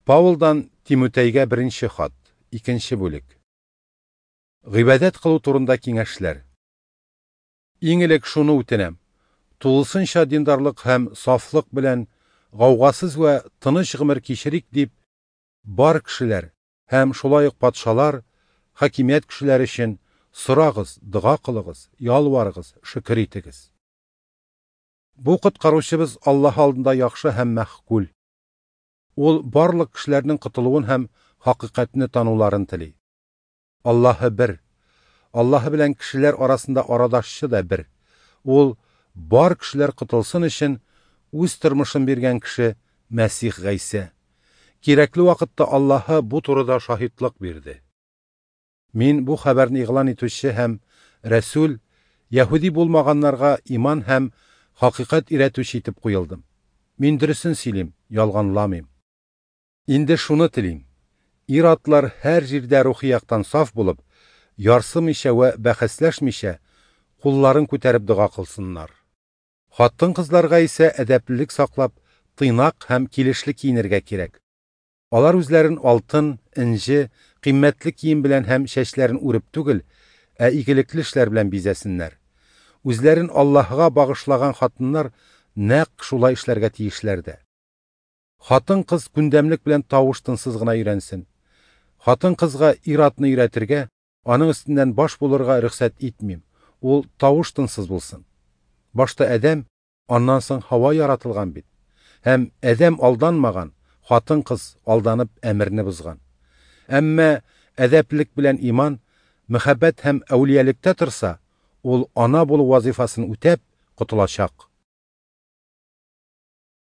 Паулдан Тимутәйгә беренче хат, икенче бүлек. Гыйбадәт кылу турында киңәшләр. Иң элек шуны үтенәм: тулысынча диндарлык һәм сафлык белән гаугасыз вә тыныч гомер кичерик дип, бар кешеләр һәм шулай ук патшалар, хакимият кешеләре өчен сорагыз, дога кылыгыз, ялварыгыз, шөкер итегез. Бу коткаручыбыз Аллаһ алдында яхшы һәм мәгъкуль. Ул барлык кешеләрнең котылуын һәм хакыйкатьне тануларын тели. Аллаһы бер. Аллаһы белән кешеләр арасында арадашчы да бер. Ул бар кешеләр котылсын өчен үз тормышын биргән кеше Мәсих Гайсә. Кирәкле вакытта Аллаһы бу турыда шаһитлык бирде. Мин бу хәбәрне игълан итүче һәм рәсүл, яһүди булмаганнарга иман һәм хакыйкать өйрәтүче итеп куелдым. Мин дөресен сөйлим, ялганламыйм. Инде шуны телим: ир-атлар һәр җирдә рухи яктан саф булып, ярсымыйча вә бәхәсләшмичә, кулларын күтәреп дога кылсыннар. Хатын-кызларга исә әдәплелек саклап, тыйнак һәм килешле киенергә кирәк. Алар үзләрен алтын, энҗе, кыйммәтле кием белән һәм чәчләрен үреп түгел, ә игелекле эшләр белән бизәсеннәр. Үзләрен Аллаһыга багышлаган хатыннар нәкъ шулай эшләргә тиешләр дә. Хатын-кыз күндәмлек белән тавыш-тынсыз гына өйрәнсен. Хатын-кызга ир-атны өйрәтергә, аның өстеннән баш булырга рөхсәт итмим. Ул тавыш-тынсыз булсын. Башта Адәм, аннан соң Һава яратылган бит. Һәм Адәм алданмаган, хатын-кыз алданып әмерне бозган. Әмма әдәплелек белән иман, мәхәббәт һәм әүлиялектә торса, ул ана булу вазифасын үтәп котылачак.